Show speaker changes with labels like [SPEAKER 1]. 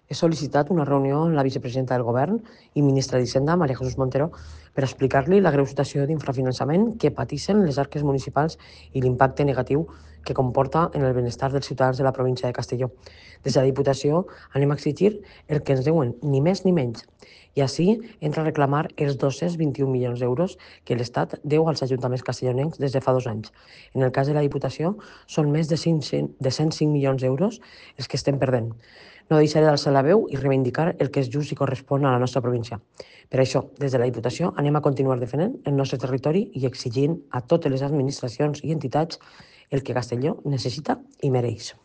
[SPEAKER 1] He sol·licitat una reunió amb la vicepresidenta del Govern i ministra d'Hisenda, María Jesús Montero, per explicar-li la greu situació d'infrafinançament que pateixen les arques municipals i l'impacte negatiu que comporta en el benestar dels ciutadans de la província de Castelló. Des de la Diputació anem a exigir el que ens deuen, ni més ni menys. I així entra a reclamar els 221 milions d'euros que l'Estat deu als ajuntaments castellonencs des de fa 2 anys. En el cas de la Diputació, són més de 105 milions d'euros els que estem perdent. No deixaré d'alçar la veu i reivindicar el que és just i correspon a la nostra província. Per això, des de la Diputació, anem a continuar defendent el nostre territori i exigint a totes les administracions i entitats el que Castelló necessita i mereix.